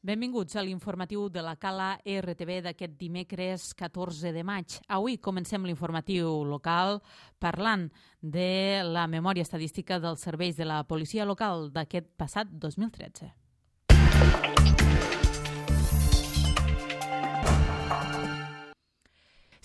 Benvinguts a l'informatiu de la Cala RTV d'aquest dimecres 14 de maig. Avui comencem l'informatiu local parlant de la memòria estadística dels serveis de la policia local d'aquest passat 2013.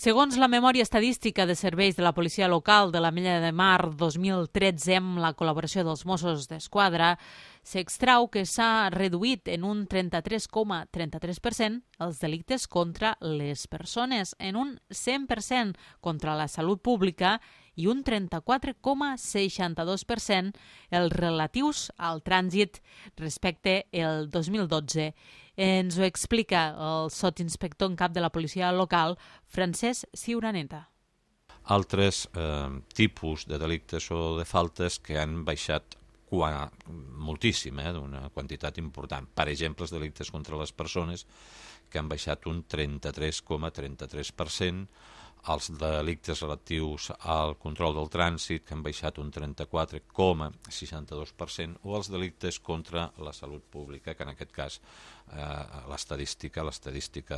Segons la memòria estadística de serveis de la policia local de l'Ametlla de Mar 2013 amb la col·laboració dels Mossos d'Esquadra, s'extrau que s'ha reduït en un 33,33% els delictes contra les persones, en un 100% contra la salut pública i un 34,62% els relatius al trànsit respecte al 2012. Ens ho explica el sotsinspector en cap de la policia local, Francesc Ciuraneta. Altres tipus de delictes o de faltes que han baixat moltíssim, d'una quantitat important. Per exemple, els delictes contra les persones, que han baixat un 33,33%, els delictes relatius al control del trànsit, que han baixat un 34,62%, o els delictes contra la salut pública, que en aquest cas l'estadística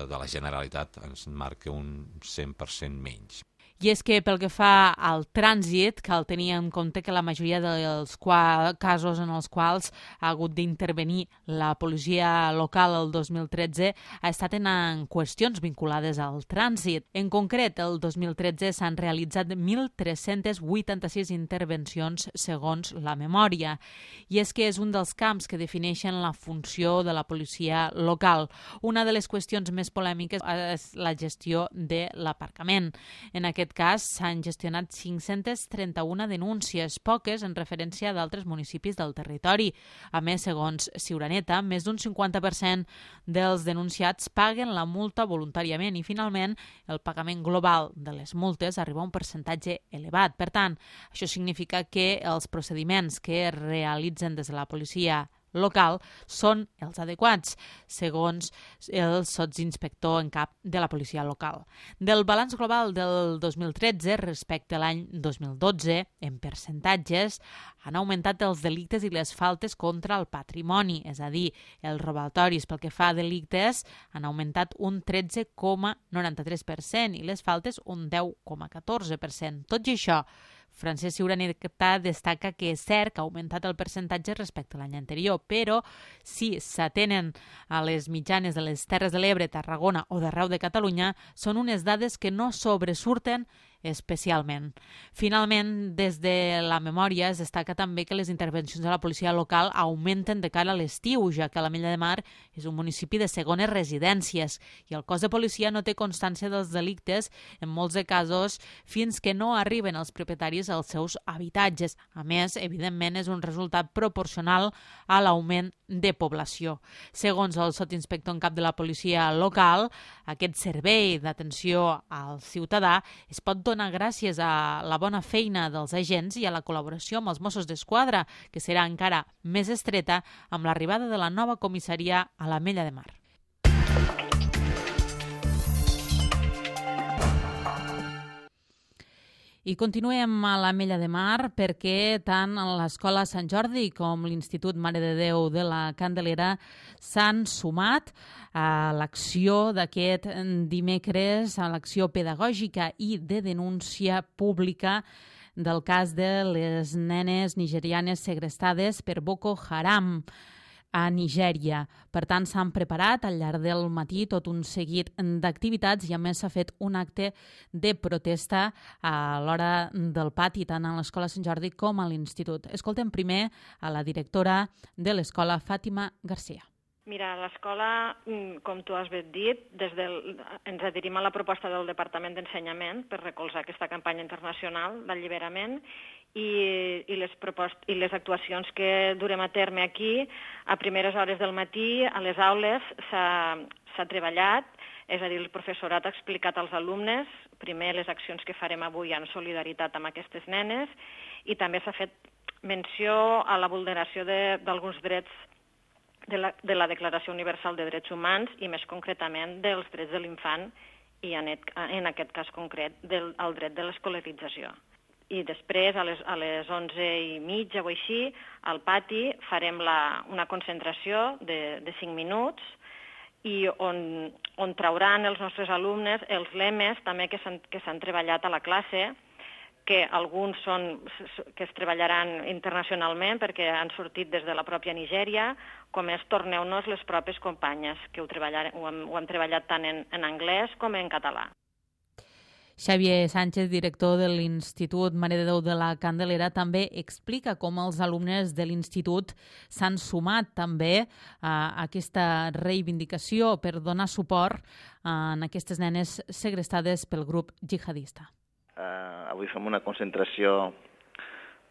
de la Generalitat ens marca un 100% menys. I és que pel que fa al trànsit, cal tenir en compte que la majoria dels casos en els quals ha hagut d'intervenir la policia local el 2013 ha estat en qüestions vinculades al trànsit. En concret, el 2013 s'han realitzat 1.386 intervencions segons la memòria. I és que és un dels camps que defineixen la funció de la policia local. Una de les qüestions més polèmiques és la gestió de l'aparcament. En aquest cas, s'han gestionat 531 denúncies, poques en referència a d'altres municipis del territori. A més, segons Ciuraneta, més d'un 50% dels denunciats paguen la multa voluntàriament i, finalment, el pagament global de les multes arriba a un percentatge elevat. Per tant, això significa que els procediments que es realitzen des de la policia local són els adequats, segons el sotsinspector en cap de la policia local. Del balanç global del 2013 respecte a l'any 2012, en percentatges, han augmentat els delictes i les faltes contra el patrimoni, és a dir, els robatoris pel que fa a delictes han augmentat un 13,93% i les faltes un 10,14%. Tot i això, Francesc Ciuraneta destaca que és cert que ha augmentat el percentatge respecte a l'any anterior, però si s'atenen a les mitjanes de les Terres de l'Ebre, Tarragona o d'arreu de Catalunya, són unes dades que no sobresurten especialment. Finalment, des de la memòria es destaca també que les intervencions de la policia local augmenten de cara a l'estiu, ja que l'Ametlla de Mar és un municipi de segones residències i el cos de policia no té constància dels delictes, en molts de casos, fins que no arriben els propietaris als seus habitatges. A més, evidentment, és un resultat proporcional a l'augment de població. Segons el sotsinspector en cap de la policia local, aquest servei d'atenció al ciutadà es pot donar gràcies a la bona feina dels agents i a la col·laboració amb els Mossos d'Esquadra, que serà encara més estreta amb l'arribada de la nova comissaria a l'Ametlla de Mar. I continuem a l'Ametlla de Mar perquè tant l'Escola Sant Jordi com l'Institut Mare de Déu de la Candelera s'han sumat a l'acció d'aquest dimecres, a l'acció pedagògica i de denúncia pública del cas de les nenes nigerianes segrestades per Boko Haram a Nigèria. Per tant, s'han preparat al llarg del matí tot un seguit d'activitats i a més s'ha fet un acte de protesta a l'hora del pati, tant a l'Escola Sant Jordi com a l'Institut. Escoltem primer a la directora de l'Escola, Fàtima Garcia. Mira, l'escola, com tu has ben dit, ens adherim a la proposta del Departament d'Ensenyament per recolzar aquesta campanya internacional d'alliberament i les actuacions que durem a terme aquí, a primeres hores del matí, a les aules, s'ha treballat, és a dir, el professorat ha explicat als alumnes, primer, les accions que farem avui en solidaritat amb aquestes nenes, i també s'ha fet menció a la vulneració d'alguns drets de la Declaració Universal de Drets Humans i més concretament dels drets de l'infant i en aquest cas concret el dret de l'escolarització. I després, a les 11:30 o així, al pati farem una concentració de 5 minuts i on trauran els nostres alumnes els lemes també que s'han treballat a la classe, que alguns que es treballaran internacionalment perquè han sortit des de la pròpia Nigèria, com és torneu-nos les pròpies companyes, que ho hem treballat tant en anglès com en català. Xavier Sánchez, director de l'Institut Mare de Déu de la Candelera, també explica com els alumnes de l'Institut s'han sumat també a aquesta reivindicació per donar suport a aquestes nenes segrestades pel grup jihadista. Avui fem una concentració,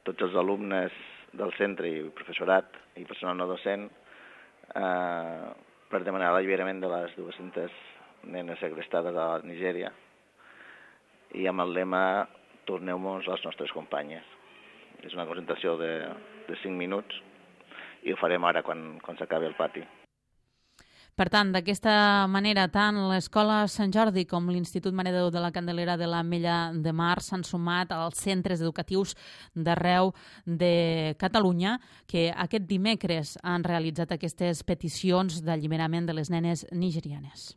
tots els alumnes del centre i professorat i personal no docent, per demanar l'alliberament de les 200 nenes segrestades a Nigèria i amb el lema torneu-nos les nostres companyes. És una concentració de 5 minuts i ho farem ara quan s'acabi el pati. Per tant, d'aquesta manera, tant l'Escola Sant Jordi com l'Institut Mare de Déu de la Candelera de l'Ametlla de Mar s'han sumat als centres educatius d'arreu de Catalunya que aquest dimecres han realitzat aquestes peticions d'alliberament de les nenes nigerianes.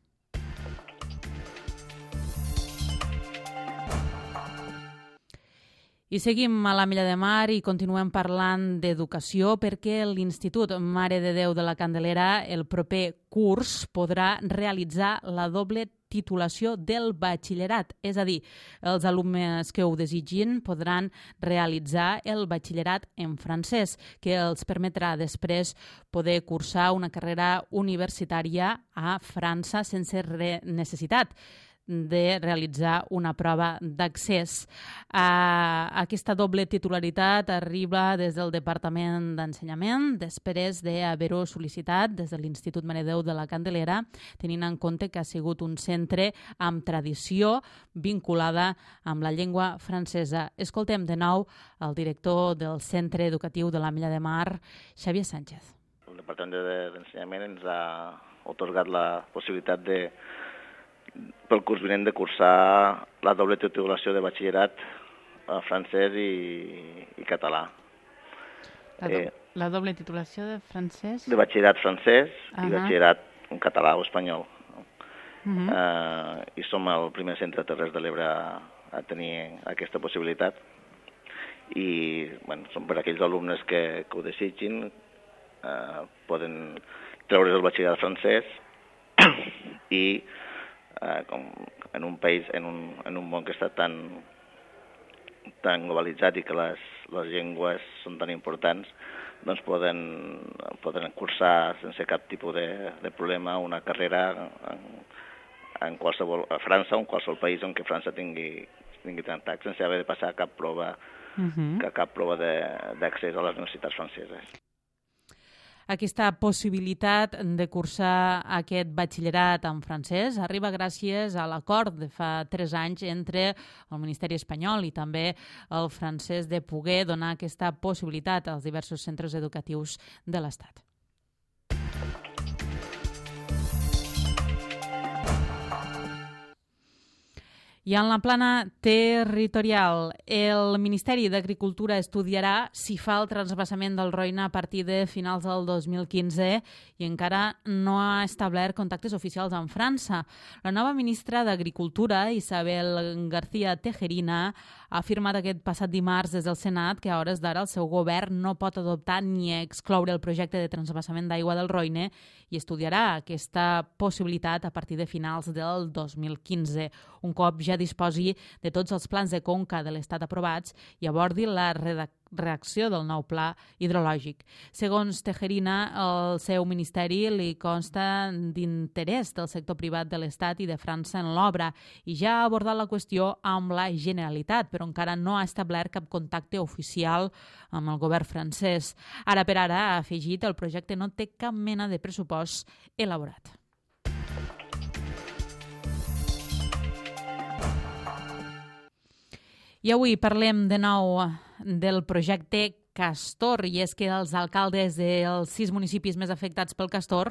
I seguim a l'Ametlla de Mar i continuem parlant d'educació perquè l'Institut Mare de Déu de la Candelera el proper curs podrà realitzar la doble titulació del batxillerat. És a dir, els alumnes que ho desitgin podran realitzar el batxillerat en francès, que els permetrà després poder cursar una carrera universitària a França sense necessitat de realitzar una prova d'accés. Aquesta doble titularitat arriba des del Departament d'Ensenyament després d'haver-ho sol·licitat des de l'Institut Mare de Déu de la Candelera, tenint en compte que ha sigut un centre amb tradició vinculada amb la llengua francesa. Escoltem de nou el director del Centre Educatiu de l'Ametlla de Mar, Xavier Sánchez. El Departament d'Ensenyament ens ha atorgat la possibilitat pel curs vinent de cursar la doble titulació de batxillerat francès i català. La doble titulació de francès? De batxillerat francès i batxillerat en català o espanyol. I som el primer centre de Terres de l'Ebre a tenir aquesta possibilitat. I són per aquells alumnes que ho desitgin, poden treure's el batxillerat francès i com en un país, en un món que està tan globalitzat i que les llengües són tan importants, doncs poden cursar sense cap tipus de problema una carrera a França o en qualsevol país on que França tingui tractat sense haver de passar cap prova d'accés a les universitats franceses. Aquesta possibilitat de cursar aquest batxillerat en francès arriba gràcies a l'acord de fa 3 anys entre el Ministeri espanyol i també el francès de poder donar aquesta possibilitat als diversos centres educatius de l'Estat. I en la plana territorial, el Ministeri d'Agricultura estudiarà si fa el transvasament del Roine a partir de finals del 2015 i encara no ha establert contactes oficials amb França. La nova ministra d'Agricultura, Isabel García Tejerina, ha afirmat aquest passat dimarts des del Senat que a hores d'ara el seu govern no pot adoptar ni excloure el projecte de transvasament d'aigua del Roine i estudiarà aquesta possibilitat a partir de finals del 2015, un cop ja disposi de tots els plans de conca de l'Estat aprovats i abordi la redacció del nou pla hidrològic. Segons Tejerina, el seu ministeri li consta d'interès del sector privat de l'Estat i de França en l'obra i ja ha abordat la qüestió amb la Generalitat, però encara no ha establert cap contacte oficial amb el govern francès. Ara per ara, ha afegit, el projecte no té cap mena de pressupost elaborat. I avui parlem de nou del projecte Castor, i és que els alcaldes dels 6 municipis més afectats pel Castor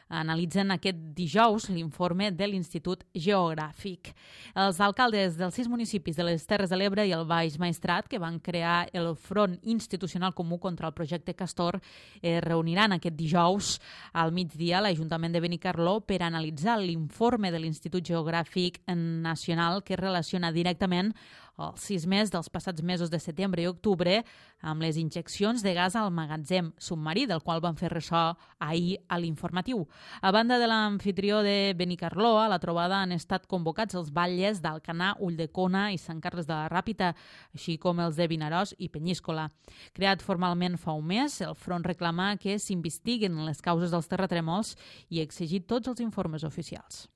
analitzen aquest dijous l'informe de l'Institut Geogràfic. Els alcaldes dels 6 municipis de les Terres de l'Ebre i el Baix Maestrat, que van crear el Front Institucional Comú contra el projecte Castor, es reuniran aquest dijous al migdia a l'Ajuntament de Benicarló per analitzar l'informe de l'Institut Geogràfic Nacional que relaciona directament els sismes dels passats mesos de setembre i octubre amb les injeccions de gas al magatzem submarí, del qual van fer ressò ahir a l'informatiu. A banda de l'amfitrió de Benicarló, a la trobada han estat convocats els batlles d'Alcanar, Ulldecona i Sant Carles de la Ràpita, així com els de Vinaròs i Penyíscola. Creat formalment fa un mes, el front reclama que s'investiguen les causes dels terratrèmols i exigir tots els informes oficials.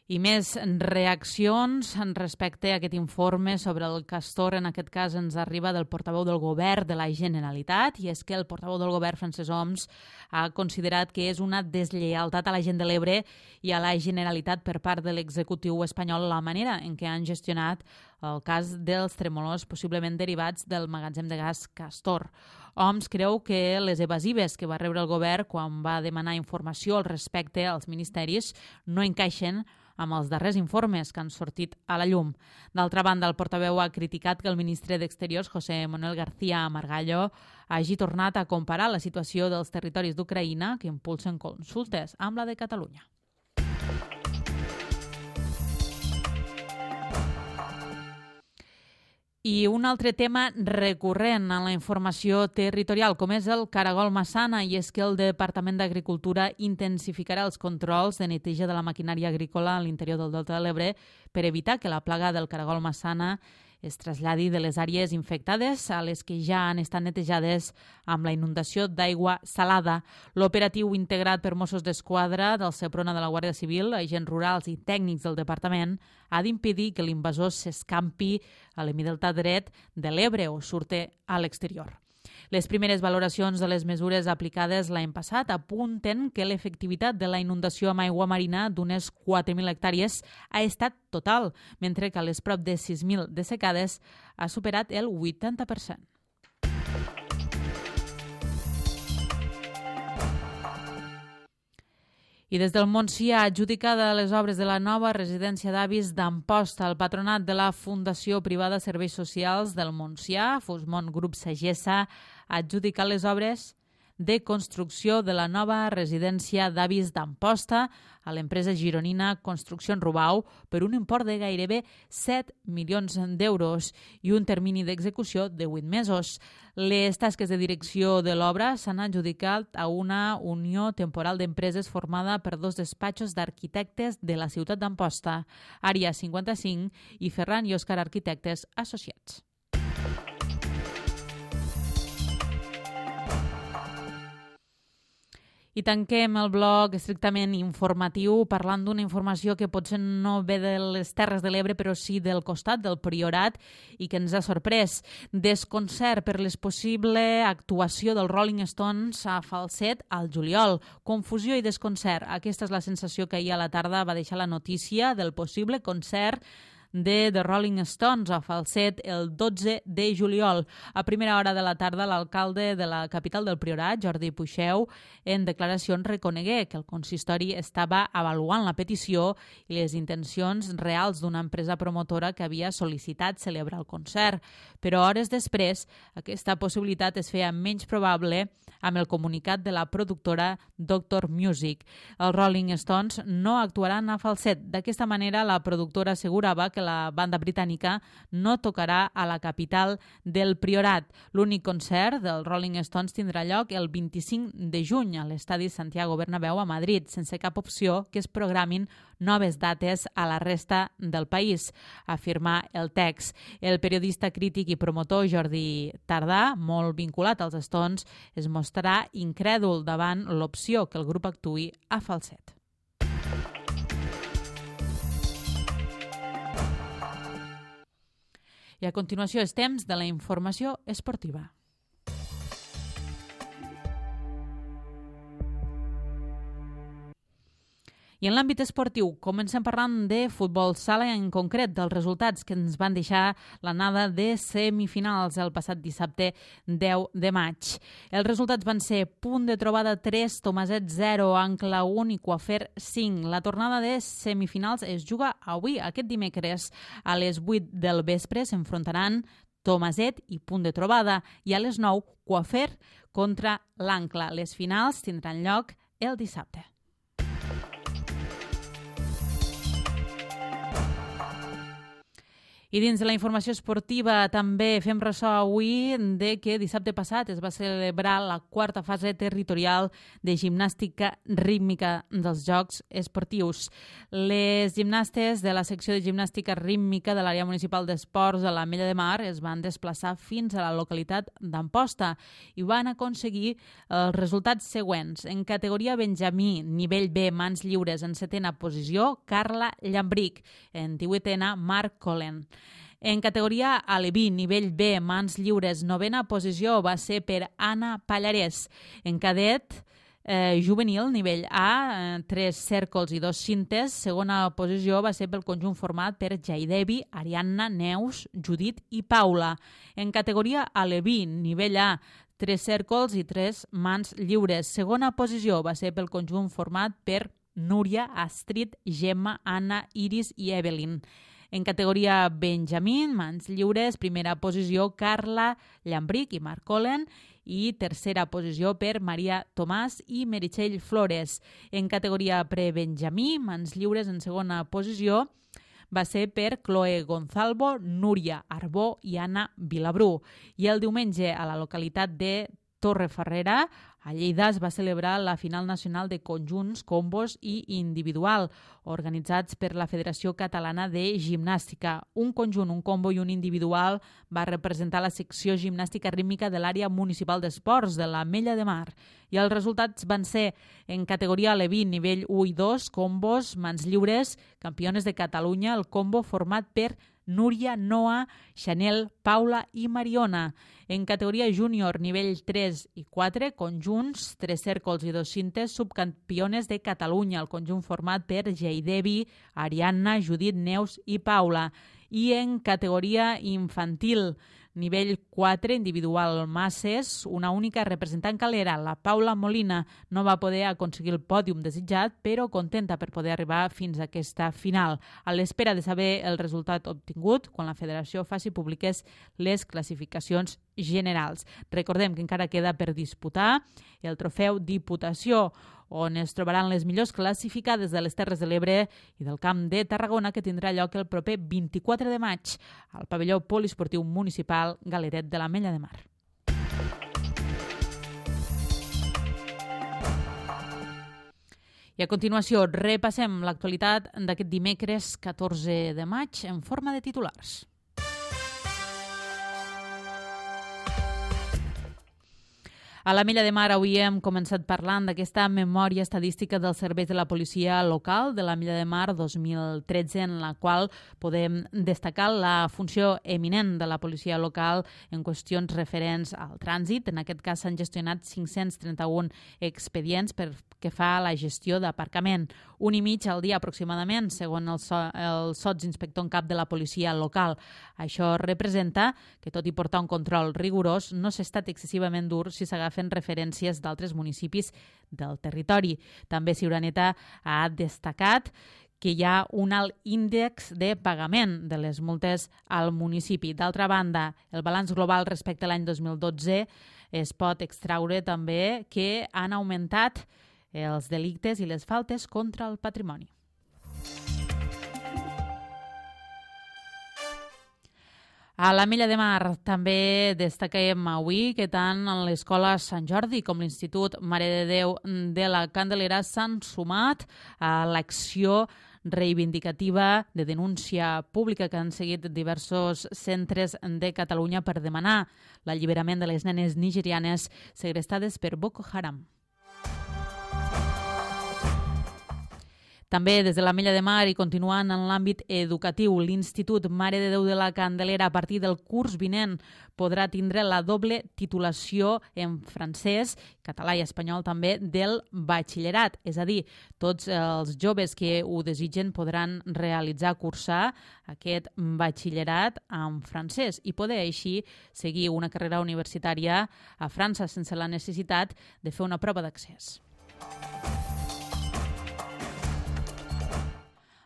I més reaccions respecte a aquest informe sobre el Castor. En aquest cas ens arriba del portaveu del govern de la Generalitat, i és que el portaveu del govern, Francesc Homs, ha considerat que és una deslleialtat a la gent de l'Ebre i a la Generalitat per part de l'executiu espanyol la manera en què han gestionat el cas dels tremolors possiblement derivats del magatzem de gas Castor. Homs creu que les evasives que va rebre el govern quan va demanar informació al respecte als ministeris no encaixen amb els darrers informes que han sortit a la llum. D'altra banda, el portaveu ha criticat que el ministre d'Exteriors, José Manuel García Margallo, hagi tornat a comparar la situació dels territoris d'Ucraïna que impulsen consultes amb la de Catalunya. I un altre tema recurrent en la informació territorial, com és el caragol massana, i és que el Departament d'Agricultura intensificarà els controls de neteja de la maquinària agrícola a l'interior del Delta de l'Ebre per evitar que la plaga del caragol massana es traslladi de les àrees infectades a les que ja han estat netejades amb la inundació d'aigua salada. L'operatiu integrat per Mossos d'Esquadra, del Seprona de la Guàrdia Civil, agents rurals i tècnics del departament ha d'impedir que l'invasor s'escampi a l'hemidelta dret de l'Ebre o surti a l'exterior. Les primeres valoracions de les mesures aplicades l'any passat apunten que l'efectivitat de la inundació amb aigua marina d'unes 4.000 hectàrees ha estat total, mentre que a les prop de 6.000 dessecades ha superat el 80%. I des del Montsià, adjudicada les obres de la nova residència d'avis d'Amposta, el patronat de la Fundació Privada Serveis Socials del Montsià, Fusmont Grup Sagessa, ha adjudicat les obres de construcció de la nova residència d'avis d'Amposta a l'empresa gironina Construcció Rubau per un import de gairebé 7 milions d'euros i un termini d'execució de 8 mesos. Les tasques de direcció de l'obra s'han adjudicat a una unió temporal d'empreses formada per 2 despatxos d'arquitectes de la ciutat d'Amposta, Àrea 55 i Ferran i Òscar Arquitectes Associats. I tanquem el bloc estrictament informatiu parlant d'una informació que potser no ve de les Terres de l'Ebre, però sí del costat del Priorat i que ens ha sorprès. Desconcert per l'expossible actuació dels Rolling Stones a Falset al juliol. Confusió i desconcert. Aquesta és la sensació que ahir a la tarda va deixar la notícia del possible concert de The Rolling Stones a Falset el 12 de juliol. A primera hora de la tarda, l'alcalde de la capital del Priorat, Jordi Puixeu, en declaracions reconegué que el consistori estava avaluant la petició i les intencions reals d'una empresa promotora que havia sol·licitat celebrar el concert. Però hores després, aquesta possibilitat es feia menys probable amb el comunicat de la productora Doctor Music. Els Rolling Stones no actuaran a Falset. D'aquesta manera, la productora assegurava que la banda britànica no tocarà a la capital del Priorat. L'únic concert dels Rolling Stones tindrà lloc el 25 de juny a l'estadi Santiago Bernabéu a Madrid, sense cap opció que es programin noves dates a la resta del país, afirma el text. El periodista crític i promotor Jordi Tardà, molt vinculat als Stones, es mostrarà incrèdul davant l'opció que el grup actuï a Falset. I a continuació és temps de la informació esportiva. I en l'àmbit esportiu, comencem parlant de futbol sala, en concret dels resultats que ens van deixar l'anada de semifinals el passat dissabte 10 de maig. Els resultats van ser Punt de Trobada 3, Tomaset 0, Ancla 1 i Coafer 5. La tornada de semifinals es juga avui, aquest dimecres, a les 8 del vespre. S'enfrontaran Tomaset i Punt de Trobada, i a les 9 Coafer contra l'Ancla. Les finals tindran lloc el dissabte. I dins de la informació esportiva també fem ressò avui de que dissabte passat es va celebrar la quarta fase territorial de gimnàstica rítmica dels Jocs Esportius. Les gimnastes de la secció de gimnàstica rítmica de l'àrea municipal d'esports de l'Ametlla de Mar es van desplaçar fins a la localitat d'Amposta i van aconseguir els resultats següents. En categoria Benjamí, nivell B, mans lliures, en 7a posició, Carla Llambric. En 18a, Marc Colen. En categoria Aleví, nivell B, mans lliures, 9a posició va ser per Anna Pallarès. En cadet juvenil, nivell A, 3 cèrcols i 2 cintes, segona posició va ser pel conjunt format per Jaidevi, Ariadna, Neus, Judit i Paula. En categoria Aleví, nivell A, 3 cèrcols i 3 mans lliures. Segona posició va ser pel conjunt format per Núria, Astrid, Gemma, Anna, Iris i Evelyn. En categoria Benjamín, mans lliures, primera posició Carla Llambric i Marc Colen i tercera posició per Maria Tomàs i Meritxell Flores. En categoria Prebenjamí, mans lliures, en segona posició va ser per Chloe Gonzalvo, Núria Arbó i Anna Vilabrú. I el diumenge a la localitat de Torrefarrera, a Lleida, es va celebrar la final nacional de conjunts, combos i individual, organitzats per la Federació Catalana de Gimnàstica. Un conjunt, un combo i un individual va representar la secció gimnàstica rítmica de l'àrea municipal d'esports de l'Ametlla de Mar. I els resultats van ser en categoria Aleví, nivell 1 i 2, combos, mans lliures, campiones de Catalunya, el combo format per Núria, Noa, Chanel, Paula i Mariona. En categoria júnior, nivell 3 i 4, conjunts, 3 cèrcols i 2 cintes, subcampiones de Catalunya, el conjunt format per Jaidevi, Ariadna, Judit, Neus i Paula. I en categoria infantil, nivell 4, individual masses, una única representant calera, la Paula Molina, no va poder aconseguir el pòdium desitjat, però contenta per poder arribar fins a aquesta final, a l'espera de saber el resultat obtingut quan la federació faci públiques les classificacions generals. Recordem que encara queda per disputar el trofeu Diputació, on es trobaran les millors classificades de les Terres de l'Ebre i del Camp de Tarragona, que tindrà lloc el proper 24 de maig al pavelló poliesportiu municipal Galeret de l'Ametlla de Mar. I a continuació repassem l'actualitat d'aquest dimecres 14 de maig en forma de titulars. A l'Ametlla de Mar avui hem començat parlant d'aquesta memòria estadística dels serveis de la policia local de l'Ametlla de Mar 2013, en la qual podem destacar la funció eminent de la policia local en qüestions referents al trànsit. En aquest cas s'han gestionat 531 expedients per que fa la gestió d'aparcament, 1,5 al dia aproximadament, segons el sotsinspector en cap de la policia local. Això representa que, tot i portar un control rigorós, no s'ha estat excessivament dur si s'agafen referències d'altres municipis del territori. També Ciuraneta ha destacat que hi ha un alt índex de pagament de les multes al municipi. D'altra banda, el balanç global respecte a l'any 2012 es pot extraure també que han augmentat els delictes i les faltes contra el patrimoni. A l'Ametlla de Mar també destaquem avui que tant l'Escola Sant Jordi com l'Institut Mare de Déu de la Candelera s'han sumat a l'acció reivindicativa de denúncia pública que han seguit diversos centres de Catalunya per demanar l'alliberament de les nenes nigerianes segrestades per Boko Haram. També des de l'Ametlla de Mar i continuant en l'àmbit educatiu, l'Institut Mare de Déu de la Candelera a partir del curs vinent podrà tindre la doble titulació en francès, català i espanyol també del batxillerat. És a dir, tots els joves que ho desitgen podran cursar aquest batxillerat en francès i poder així seguir una carrera universitària a França sense la necessitat de fer una prova d'accés.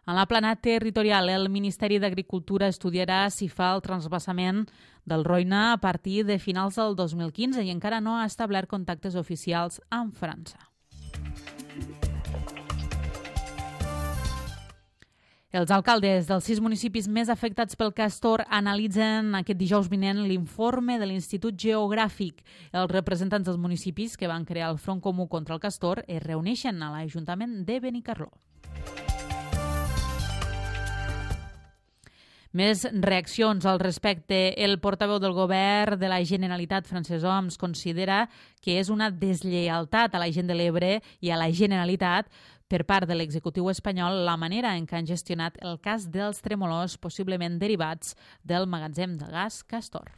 En la plana territorial, el Ministeri d'Agricultura estudiarà si fa el transvasament del Roine a partir de finals del 2015 i encara no ha establert contactes oficials amb França. Els alcaldes dels 6 municipis més afectats pel castor analitzen aquest dijous vinent l'informe de l'Institut Geogràfic. Els representants dels municipis que van crear el Front Comú contra el castor es reuneixen a l'Ajuntament de Benicarló. Més reaccions al respecte. El portaveu del govern de la Generalitat, Francesc Homs, considera que és una deslleialtat a la gent de l'Ebre i a la Generalitat per part de l'executiu espanyol la manera en què han gestionat el cas dels tremolors possiblement derivats del magatzem de gas Castor.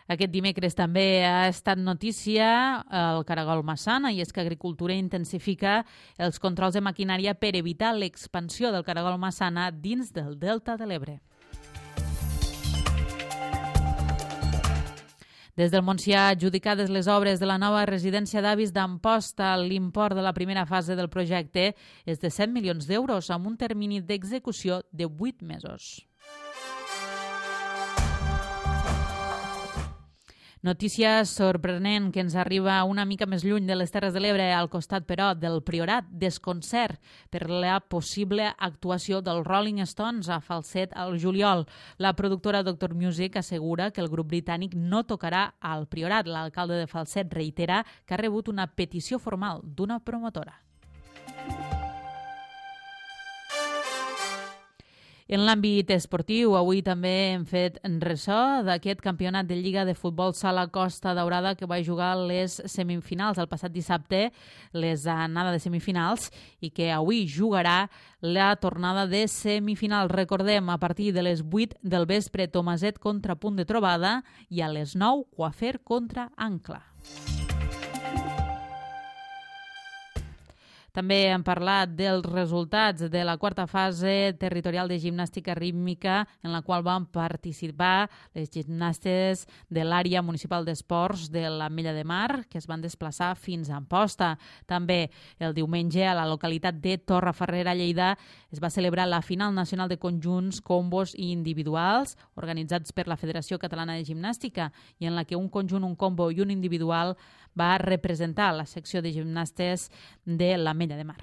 Aquest dimecres també ha estat notícia el caragol Massana i és que Agricultura intensifica els controls de maquinària per evitar l'expansió del caragol Massana dins del Delta de l'Ebre. Des del Montsià, adjudicades les obres de la nova residència d'avis d'Amposta, l'import de la primera fase del projecte és de 100 milions d'euros amb un termini d'execució de 8 mesos. Notícia sorprenent que ens arriba una mica més lluny de les Terres de l'Ebre, al costat, però, del Priorat. Desconcert per la possible actuació dels Rolling Stones a Falset al juliol. La productora Dr. Music assegura que el grup britànic no tocarà al Priorat. L'alcalde de Falset reitera que ha rebut una petició formal d'una promotora. En l'àmbit esportiu, avui també hem fet ressò d'aquest campionat de Lliga de Futbol Sala Costa Daurada que va jugar les semifinals el passat dissabte, les anada de semifinals, i que avui jugarà la tornada de semifinals. Recordem, a partir de les 8 del vespre, Tomaset contra Punt de Trobada i a les 9, Coafer contra Ancla. També hem parlat dels resultats de la quarta fase territorial de gimnàstica rítmica en la qual van participar les gimnastes de l'àrea municipal d'esports de l'Ametlla de Mar que es van desplaçar fins a Amposta. També el diumenge a la localitat de Torrefarrera, Lleida, es va celebrar la final nacional de conjunts, combos i individuals organitzats per la Federació Catalana de Gimnàstica i en la que un conjunt, un combo i un individual va representar la secció de gimnastes de l'Ametlla de Mar.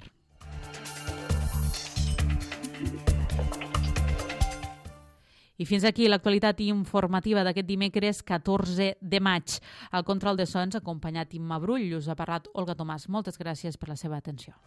I fins aquí l'actualitat informativa d'aquest dimecres 14 de maig. Al control de so ens ha acompanyat Imma Brull, us ha parlat Olga Tomàs. Moltes gràcies per la seva atenció.